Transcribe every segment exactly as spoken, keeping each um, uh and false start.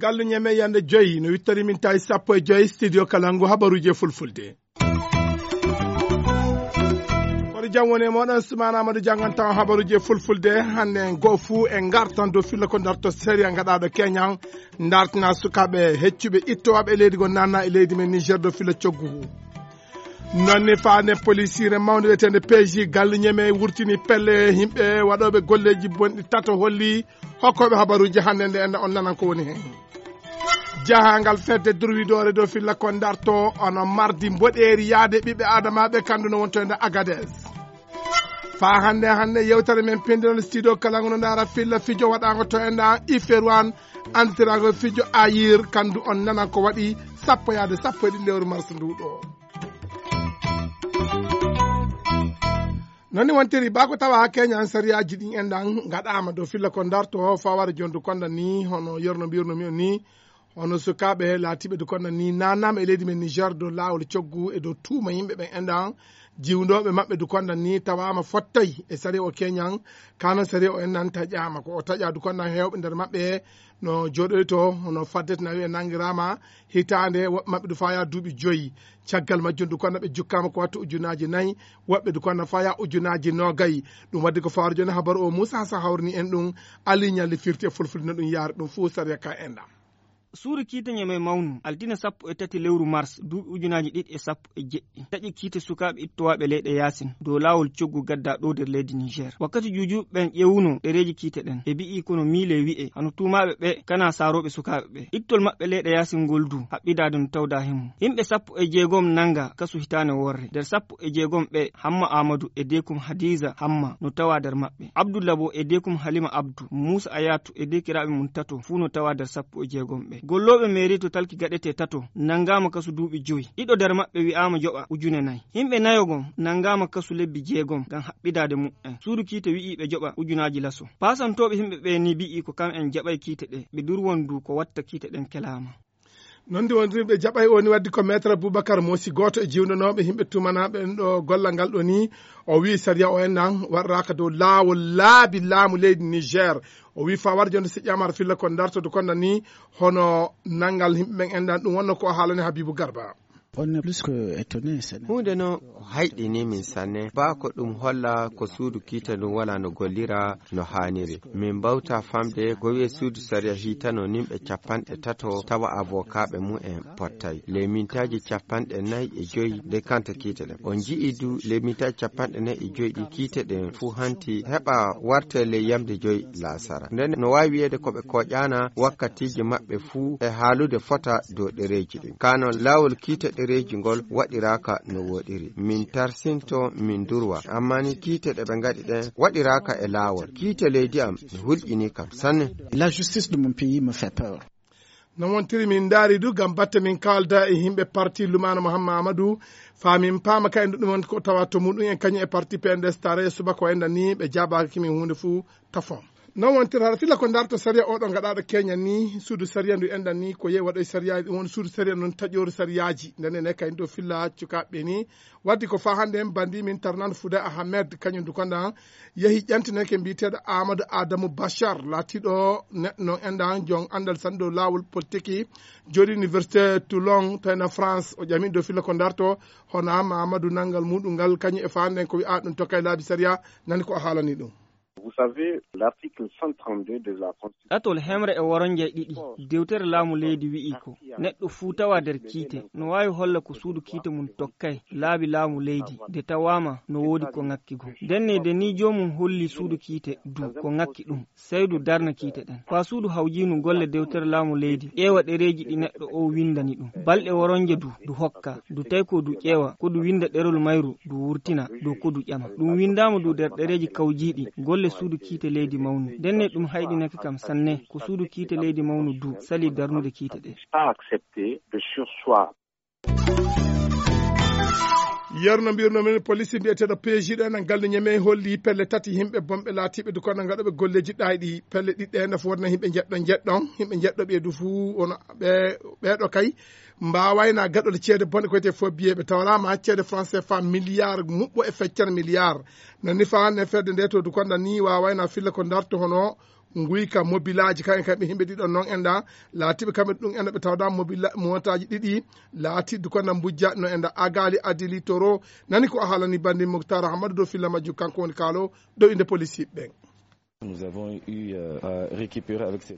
Gallu ñeme yande joyi no wittori min tawi sappo e joyi studio Kalangu habaruuje fulfulde. Kono jam woni e moɗon, Sumana Amadou, janngan tawa habaruuje fulfulde. Hannde en goo fuu en ngartan dow filla ko darto sariya ngaɗaaɗo Keñan, dartina sukaaɓe heccuɓe ittowaaɓe e leydi goo nanna e leydi men Niger dow filla coggu. Noon ne faande polisiire mawnde wiyeteende P J Gallu Ñeme wurtini pelle yimɓe waɗooɓe golleeji bonɗi tato holli hokkooɓe habaruuji hannde nde enda on nanan ko woni heen. Jahangal fedde durwidoore dow filla ko darto ono mardi mboɗeeri yaade ɓiɓɓe adamaaɓe kandu no wonto e nder Agadez. Faa hannde, hannde yewtere men pinndinal studio Kalangu no ndaara filla fijo waɗaango to enda Iferuan, andiraago fijo Ayir, kandu on nanan ko waɗi sappo yaade sappo e ɗiɗi lewru mars ndu ɗo. Noon ni wontiri bako tawa Keñan sariyaaji ɗin enɗan ngaɗaama dow filla ko darto faware jondu konda ni, hono yerno mbirno mi on ni, hono sukaaɓe laatiiɓe du konda ni nannaama e leydi men Niger dow laawol coggu e dow tuuma yimɓe ɓen enɗan, jiwndooɓe maɓɓe du konda ni tawaama fottay e sariya o Keñan, kana sariya o enɗan taƴaama ko o taƴa du konda heewɓe nder maɓɓe no jooɗoyto hono faddete na wiye nangiraama hitaande, woɓɓe maɓɓe du faya duuɓi joyi. Caggal majjum du konda ɓe jukkaama ko wattu ujunaaji nayi, woɓɓe du konda faya ujunaaji noogay. Ɗum waddi ko fawar jooni habaru o Muusa Hasan hawrini en ɗum, Ali Ñalli firti e fulfulde no ɗum yaari ɗum fuu sariya ka enɗan. Suudu kiite ñeme mawnu altine sappo e tati lewru mars duuɓi ujunaaji ɗiɗi e sappo e jeɗɗi taƴi kiite sukaaɓe ittowaaɓe leyɗe yaasin dow laawol coggu gadda ɗo nder leydi Niger. Wakkati juujuuɓe ɓen ƴeewuno ɗereeji kiite ɗen ɓe mbi'i kono miile wi'e hano tuumaaɓe ɓe kana saarooɓe sukaaɓe ɓe. Ittol maɓɓe leyɗe yaasin ngol du haɓɓidaade no tawda himo. Yimɓe sappo e jeegom nanga kasu hitaane worre. Nder sappo e jeegom ɓe Hamma Aamadu e deekum Hadiza Hamma no tawa nder maɓɓe. Abdulla Bo e deekum Halima Abdu, Muusa Ayatu e deekiraaɓe mum tato fuu no tawa nder sappo e jeegom ɓe. Gollooɓe meeri to talki gaɗete tato nangaama kasu duuɓi joyi. Ɗiɗo nder maɓɓe wi'aama joɓa ujune nayi. Yimɓe nayo gom nangaama kasu lebbi jeegom ngam haɓɓidaade muɓɓen. Suudu kiite wi'i ɓe joɓa ujunaaji laso. Paasantooɓe yimɓe ɓe ni mbi'i ko kam'en jaɓay kiite ɗe, ɓe durwon du ko watta kiite ɗen kelaama. Noon ndi wondirɓe jaɓay o ni waddi ko Maître Boubacar Mosi, gooto e jiwndanooɓe yimɓe tumanaaɓe en ɗo gollal ngal ɗo ni. O wii sariya o en nan waɗiraaka dow laawol laabi laamu leydi Niger. O wii fawar jonde si ƴamar filla ko dartoto konda ni hono nanngal yimɓe ɓen en ɗan ɗum wonno ko o haalani Habibu Garba. On est plus que étonné, c'est huunde noon ko hayɗini min sanne. Baa ko ɗum holla ko suudu kiite ndun wala no gollira no haaniri. Min mbawta famde ko wi'e suudu sariya hiitano nimɓe capanɗe tato tawa avokaaɓe mum en pottay. Ley mintaaji capanɗe nayi e joyi nde kanta kiite ɗen. On nji'i du ley mintaaji capanɗe nayi e joyi ɗi kiite ɗen fuu hanti heɓa warte ley yamde joyi laasara. Nden no waawi wi'eede ko ɓe kooƴaana wakkatiiji maɓɓe fuu e haalude fota dow ɗereeji ɗin. Kaa non laawol kiite ɗereeji ngol waɗiraaka no wooɗiri. Min tarsinto, min durwa. Amma ni kiite ɗe ɓe ngaɗi ɗen waɗiraaka e laawol. Kiite leydi am no hulƴini kam sanne. La justice de mon pays me fait peur. No wontiri min ndaari du ngam batte min kaalda e yimɓe parti Lumana Muhammad Amadou. Faa min paama ka en ɗum woni ko tawa to muɗum en kañum e parti P N D S tare subaka o enɗan ni ɓe jaabaaki min huunde fuu tafon. Non wontiri hara filla ko ndarto sariya oɗo gaɗaɗo Kenya ni, suudu sariya ndu enɗan ni ko yehi waɗoy sariya, ɗum woni suudu sariya non taƴoru sariyaaji. Nden ene kayen ɗo filla cukaaɓe ni. Waddi ko faa hannde en bandi min tarnan Fuda Ahmed kañum du konɗan yehi ƴantineke mbiyeteeɗo Amadou Adamou Bachar laatiiɗo neɗɗo non enɗan jon anndal sanɗo laawol politiki jooɗi Université Toulon to ena France. O ƴami ɗo filla ko ndarto hono Amadou nanngal muɗum ngal kañum e faa hannde en ko wi'a ɗum tokkay laabi sariya. Nani ko o haalani ɗum. Vous savez, l'article cent trente-deux de la Constitution. Ɗatol hemre e woronje ɗiɗi dewtere laamu leydi wi'i ko neɗɗo fuu tawa nder kiite no waawi holla ko suudu kiite mum tokkay laabi laamu leydi nde tawaama no woodi ko ŋakki goo. Ndenne nde ni joomum holli suudu kiite du ko ŋakki ɗum, sey du darna kiite ɗen. Ko a suudu hawjiinu golle dewtere laamu leydi ƴeewa ɗereeji ɗi neɗɗo o winndani ɗum. Balɗe woronje du, du hokka. Du tawi ko du ƴeewa, ko du winnda ɗerol mayru, du wurtina, dow ko du ƴama. Ɗum winndaama du nder ɗereeji kawjiiɗi, golle suudu kiite leydi mawnu. Ndenne ɗum hayɗinake kam sanne, ko suudu kiite leydi mawnu du sali darnude kiite ɗe. Pas accepter de surseoir. Yeru no mbirno min, police mbiyeteeɗo P J ɗo ena gallu Ñamey holli pelle tati yimɓe bonɓe laatiiɓe du kono ngaɗooɓe golleeji ɗaayɗi. Pelle ɗiɗi ɗe nafa wonno yimɓe njeɗɗo njeɗɗon, yimɓe njeɗɗo ɓe du fuu wono ɓe, ɓeeɗo kay mbaawayna gaɗol ceede bonɗe ko wiyetee faux billet. Ɓe tawraama ceede franc C F A milliard muɓɓo e feccere milliard. Nani fa ne fedde nde to du konda ni waawayna filla ko darto hono nguyka mobilaaji kayen kamɓe yimɓe ɗiɗon noon enda laatiiɓe kamɓe ɗum enda ɓe tawda mobila montaaji ɗiɗi laati du konda mbujja no enda agaali adili toro. Nani ko a haalani bandi Moktar Ahamadou dow filla majjum, kanko woni kaalo dow inde police ɓen.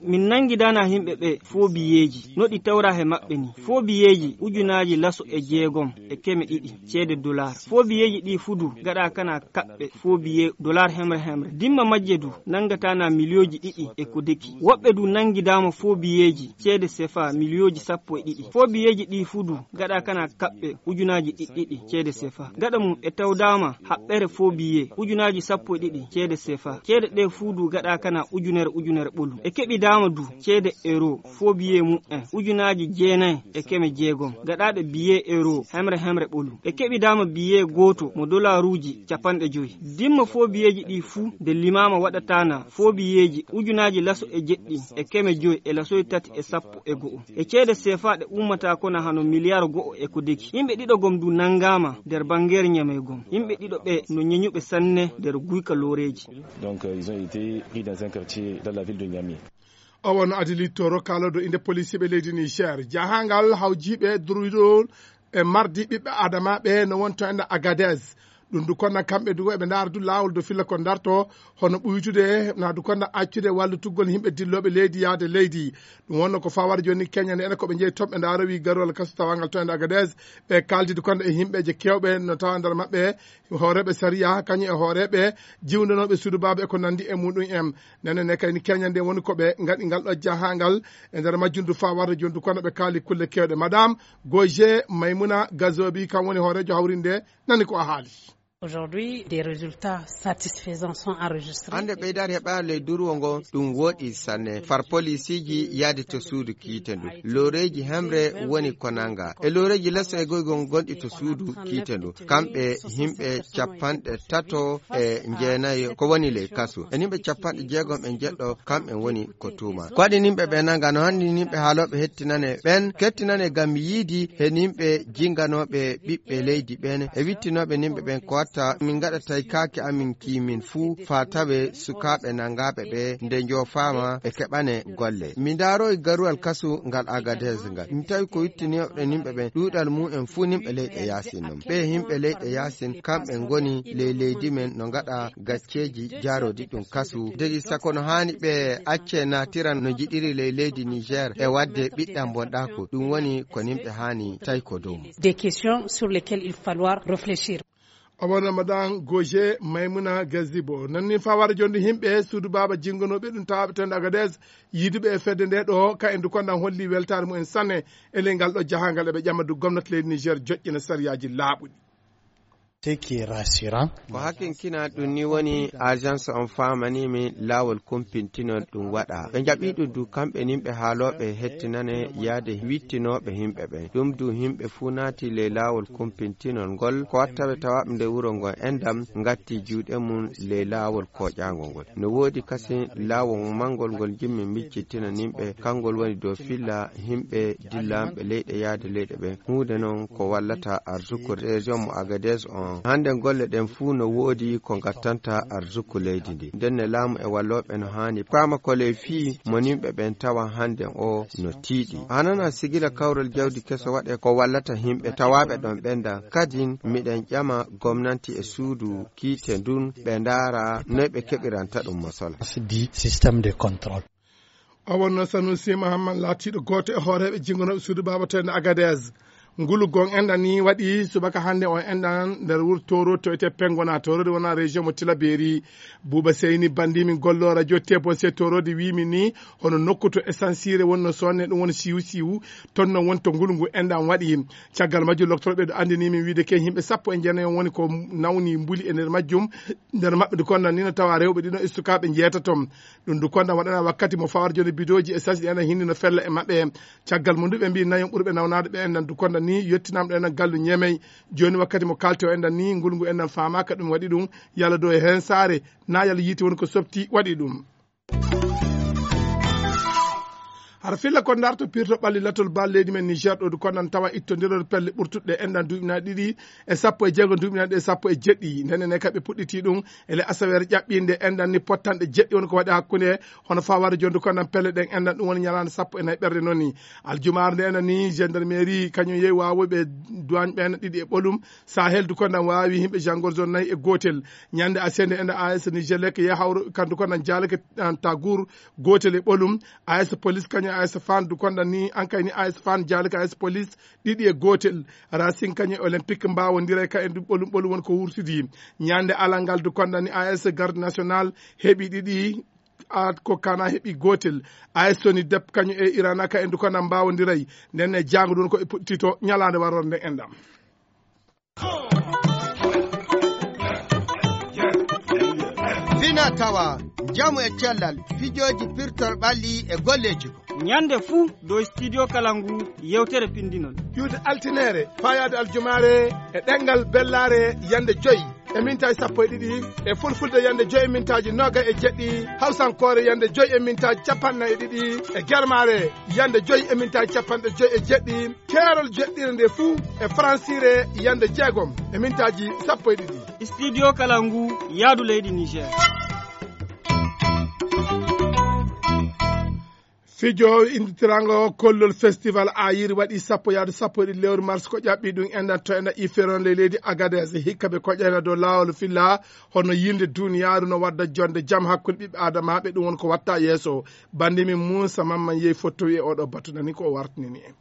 Min nangidaana yimɓe ɓe foobiyeeji no ɗi tawra he maɓɓe ni. Foobiyeeji ujunaaji laso e jeegom e keme ɗiɗi ceede dolaar. Foobiyeeji ɗi fudu gaɗa kana kaɓɓe foobiye dolaar hemre hemre. Dimma majje du nangataana miliyooji ɗiɗi e ko deki. Woɓɓe du nangidaama foobiyeeji ceede sefa miliyooji sappo e ɗiɗi. Foobiyeeji ɗi fudu gaɗa kana kaɓɓe ujunaaji ɗiɗɗiɗi ceede sefa. Gaɗa mum e tawdaama haɓɓere foobiye ujunaaji sappo e ɗiɗi ceede sefa. Ceede ɗe fuu du gaɗa kana ujunere ujunere ɓolu. E keɓidaama du ceede euro foobiye mum en ujunaaji jeenayi e keme jeegom gaɗaɗe biye euro hemre hemre ɓolu. E keɓidaama biye gooto mo dolaaruuji capanɗe joyi. Dimma foobiyeeji ɗi fuu nde limaama waɗataana foobiyeeji ujunaaji laso e jeɗɗi e keme joyi e lasoy tati e sappo e go'o. E ceede sefa ɗe ummata kona hano miliyar go'o e ko deki. Yimɓe ɗiɗo gom du nangaama nder bangeer Ñamey gom. Yimɓe ɗiɗo ɓe no ñeñuɓe sanne nder guyka looreeji. O wonno adilittoro kaalodo inde polisiiɓe leydi Niger. Jahangal hawjiiɓe durwidol e mardi ɓiɓɓe adama ɓe no wonto enda Agadez. Ɗum du konna kamɓe du eɓe ndaara du laawol do filla ko darto hono ɓuytude na du konna accude wallitugol yimɓe dillooɓe leydi yaade leydi. Ɗum wonno ko fawar joni keñande ene ko ɓe jeeyi toon ɓe ndaara wi garol kaso tawangal to ende Agadez. Ɓe kaaldi du konna e yimɓeje kewɓe no tawa nder maɓɓe hooreeɓe sariya kañum e hooreeɓe jiwndanooɓe suudu baaba e ko nanndi e muɗum en. Nene ne kayni keñande woni ko ɓe ngaɗi ngal ɗo jahangal e nder majjum du faa warde joni du kono ɓe kaali kulle kewɗe. Madame Goje Maymuna Gazobi kam woni hooreejo hawrinde nani ko a haali. Aujourd'hui des résultats satisfaisants sont enregistrés. Hannde ɓeydaade heɓaade ley durwo ngo ɗum wooɗi sanne. Far polisiiji yaade to suudu kiite ndu. Looreeji hemre woni ko nanga. E looreeji leso e goygol gonɗi to suudu kiite ndu. Kamɓe yimɓe capanɗe tato e jeenayo ko woni ley kasu. E yimɓe capanɗe jeegom e jeɗɗo kamɓe woni ko tuuma. Ko waɗi yimɓe ɓe nanga no hannde yimɓe haalooɓe hettinane ɓen kettinane ngam yiidi he yimɓe jinganooɓe ɓiɓɓe leydi ɓen e wittinooɓe yimɓe ɓen ko watta min ngaɗa tawi kaake amin kimin fuu faa tawe sukaaɓe nangaaɓe ɓe nde njoofaama ɓe keɓane golle. Mi ndaarooyi garuwal kasu ngal Agadez ngal. Mi tawi ko wittinooɓe yimɓe ɓen ɗuuɗal mum en fuu yimɓe leyɗe yaasin non. Ɓe yimɓe leyɗe yaasin kamɓe ngoni ley leydi men no ngaɗa gacceeji jaaroodi ɗum kasu. Degi sako no haani ɓe acce naatiran no njiɗiri ley leydi Niger e waɗde ɓiɗɗam bonɗaaku. Ɗum woni ko yimɓe haani tawi ko dow mum. Des questions sur lesquelles il falloir réfléchir. Omo ramadan goje maymuna gazibo nanni fawara jonde yimɓe suudu baaba jingonoɓe ɗum tawaɓe tende agades yiduɓe e fedde nde ɗo ka en du kondan holli weltare mumen sanne e ley ngal ɗo jahangal eɓe ƴamma du gomnati leydi niger joƴƴina sariyaji laaɓuɗi. Teki rassurant. Ko hakkinkina ɗum ni woni agence on famanimi laawol kumpintinol ɗum waɗa ɓe jaɓi ɗum du kamɓe nin ɓe haalooɓe hettinane yaade wittinooɓe yimɓe ɓen ɗum du yimɓe fuu naati ley laawol kumpintinol ngol ko wattaɓe tawaɓe nde wuro ngol endam ngatti juuɗe mum ley laawol koƴaangol ngol. No woodi kasin laawol mangol ngol jimmi miccittina nimɓe kangol woni dow filla yimɓe dillanɓe leyɗe yaade leyɗe ɓen huunde non ko wallata arsuku région mo agades on. Hannde golle ɗen fuu no woodi ko ngattanta arsuku leydi ndi ndenne laamu e wallooɓe no haani paama ko ley fii mo nimɓe ɓen tawa hannde o no tiiɗi. Hanana sigila kawral jawdi keso waɗe ko wallata yimɓe tawaaɓe ɗon ɓenda kadin miɗen ƴama gomnanti e suudu kiite ndun ɓe ndaara noy ɓe keɓiranta ɗum mosola. Di système de contrôle. O wonno sanusi mahamman laatiiɗo gooto e hooreeɓe jingonooɓe suudu baaba to ende agades. Ngulu gon enɗan ni waɗi subaka hannde on enɗan nder wuro toro to wiyetee pengona torode wona région mo tilaberi. Buuba seyni banndi min gollo radio tebonse torode wimi ni hono nokku to essence ire wonno sonne ɗum woni siwu siwu. Toon noon woni to ngulngu enɗan waɗi. Caggal majjum loktorɓe ɗo anndini min wiide ke yimɓe sappo e jeenayi on woni ko nawni mbuli e nder majjum. Nder maɓɓe du konnan ni no tawa rewɓe ɗiɗo e sukaaɓe njeetato. Ɗum du konnan waɗana wakkati mo fawar joni bidooji e sasi ɗi enen hinni no fella e maɓɓe. Caggal mum du ɓe mbi nayon ɓurɓe nawnaade ɓe enɗan du konnan. Ni yettinamɗo enen gallu Ñemey. Jooni wakkati mo kalten o enɗan ni, ngulngu enɗan faamaaka ɗum waɗi ɗum, yalla dow e heen saare, na yalla yiite woni ko softi waɗi ɗum. Hara filla ko ndarto pirto ɓalli latol bal leydi men Niger ɗo du konnan tawa ittondirol pelle ɓurtuɗe enɗan duuɓi na ɗiɗi e sappo e jeego duuɓi na ɗe sappo e jeɗɗi. Ndenen ne kaɓe puɗɗiti ɗum ele asaweere ƴaɓɓinde enɗan ni pottanɗe jeɗɗi woni ko waɗi hakkunde hono fawaade jonde konnan pelle ɗen enɗan ɗum woni ñalaande sappo e nayi ɓerde noon ni. Aljumaare nde enɗan ni gendarmerie kañum yehi wawoyɓe douane ɓen ɗiɗi e ɓolum. Sahel du konnan wawi yimɓe jangol zone nayi e gotel. Ñande asende enɗan A S Nigelec yehi hawro kandu konnan jaalake an tagour gotel e ɓolum. A S police kañum A S fan du konnan ni an kay ni A S fan jaalake A S police ɗiɗi e gotel. Racing kañum olympique mbawodira e ka en du ɓolum ɓolum woni ko wurtidi. Ñande alal ngal du konnan ni A S garde national heɓi ɗiɗi. At ko kana heɓi gotel. A S soni dep kañum e irana ka en du konnan mbawodiray. Nden e jango ɗum ko e puɗɗito ñalaande warorde nden enɗam. Fina tawa, njamu e cellal, fijooji pirtol ɓalli e golleeji ko. Ñande fuu dow studio kala ngu yewtere pinndinol. Ƴuwde altineere, faayaade aljumaare e ɗemngal bellaare yande joyi e mintaaji sappo e ɗiɗi, e fulfulde yande joyi e mintaaji nooga e jeɗɗi, hawsankoore yande joyi e mintaaji capanɗe nayi e ɗiɗi, e germaare yande joyi e mintaaji capanɗe joyi e jeɗɗi. Keerol jeɗɗire nde fuu e faransire yande jeegom e mintaaji sappo e ɗiɗi. Studio kala ngu yaadu leydi Niger. Fijo inditirango kollol festival ayir waɗi sappo yaadu sappo e ɗiɗi lewru mars ko ƴaɓɓi ɗum enɗan to enɗan iferon ley leydi Agadez hikka ɓe koƴana dow laawol filla hono yinde duniyaaru no wadda jonde jam hakkunde ɓiɓɓe adamaaɓe ɗum won ko watta yeeso. Bandi min Muusa Mamman yehi fottowi e oɗo batu nani ko o wartinini en.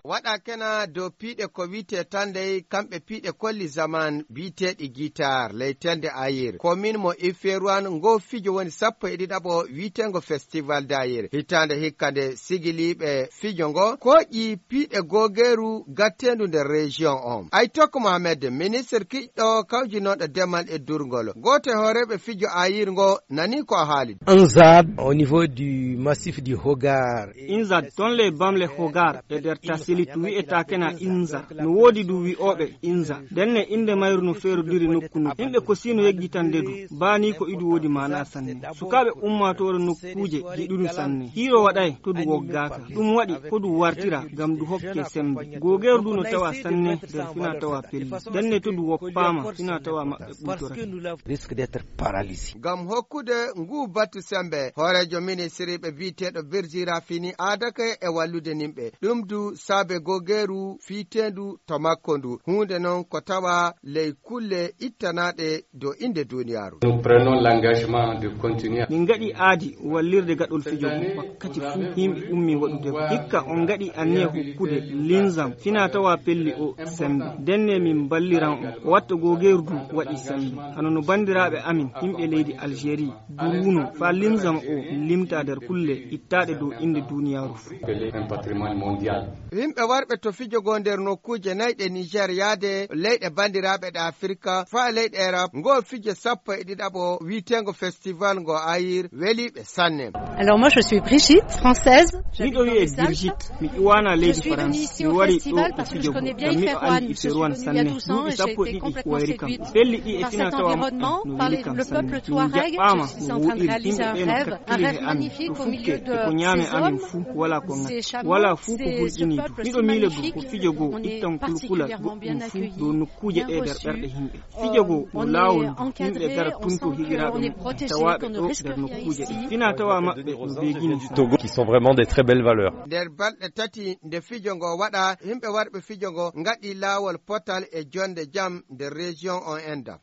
Waɗa kena dow piiɗe ko wi'etee tan dey kamɓe piiɗe kolli zaman bi'eteeɗi guitar ley tende ayir. Komin mo Ifeeruwan ngo fijo woni sappo e ɗiɗaɓo wi'eteengo festival dayir. Hitaande hikka nde sigiliiɓe fijo ngo kooƴi piiɗe googeeru gatteendu nder région on. Aytok Mohamed, ministre kiɗɗo kawjinooɗo demal e durngol, gooto e hooreeɓe fijo ayir ngo nani ko o haali. Inzad au niveau du massif du Hogar. Inza ton le bamle Hogar e nder Tasilit wi'etaa kena Inza. No woodi du wi'ooɓe Inza. Ndenne innde mayru no feerodiri nokku nokku. Yimɓe ko sino yeggitande du. Baani ko idu woodi maana sanne. Sukaaɓe ummaatoore nokkuuje jiɗudu sanne. Hiiro waɗay to du woggaaka. Ɗum waɗi ko du wartira ngam du hokke sembe. Googeeru du no tawa sanne nder fina tawa pelli. Ndenne to du woppaama fina tawa maɓɓe ɓuytorake. Risque d'être paralysé. Ngam hokkude nguu batu sembe, hooreejo ministiriiɓe bi'eteeɗo Birji Rafini aadake e wallude nimɓe. Ɗum du saabe googeeru fiiteendu to makko ndu. Huunde non ko tawa ley kulle ittanaaɗe dow innde duuniyaaru. Nous prenons l'engagement de continuer. Min ngaɗi aadi wallirde gaɗol fijo ngu wakkati fuu yimɓe ummi waɗude ngu. Hikka on ngaɗi anniya hokkude linzam fina tawa pelli o sembe. Ndenne min mballiran on. Ko watta googeeru du waɗi sembe. Hano no banndiraaɓe amin yimɓe leydi Algérie duruuno faa linzam o limta nder kulle ittaaɗe dow innde duuniyaaru fuu. Appelé un patrimoine mondial. Yimɓe warɓe to fijo goo nder nokkuuje nayi ɗe Niger yaade leyɗe banndiraaɓe ɗe Afirka faa leyɗe Erop, ngoo fijo sappo e ɗiɗaɓo wi'eteengo festival ngo ayir weliiɓe sanne. Alors moi je suis Brigitte, française. Miɗo wi'e Brigitte, mi ƴuwaana leydi France. Mi wari ɗo ko fijo goo, ngam miɗo anndi Iferuwan sanne. Duuɓi sappo e ɗiɗi wayri kam. Pelli ɗi e fina tawa maɓɓe no weli kam sanne. Min jaɓɓaama no wooɗiri, yimɓe ɓee no kakkili he amin, no fukke e ko ñaame amin fuu, walaa ko ŋakki, walaa fuu ko hulƴinii du. Miɗo miila du ko fijo goo ittan kulkulal goɗɗum fuu dow nokkuuje ɗee nder ɓerɗe yimɓe. Fijo goo no laawol du, yimɓe gara tun to higiraaɓe muɓɓen tawaaɓe ɗo nder nokkuuje ɗee. Fina tawa maɓɓe no beegini sanne. Togo qui sont vraiment des très belles valeurs. Nder balɗe tati nde fijo ngo waɗa, yimɓe warɓe fijo ngo ngaɗi laawol potal e jonde jam nder région on enɗam.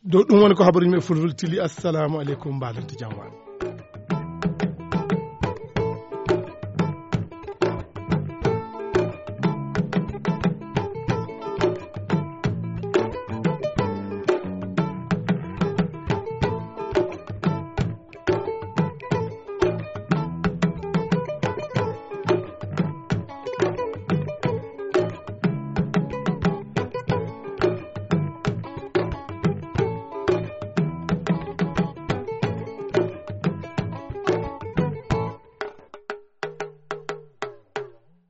Dow ɗum woni ko habaruuji men fulfulde tili. Assalamu aleykum, mbaɗen jam waɗa.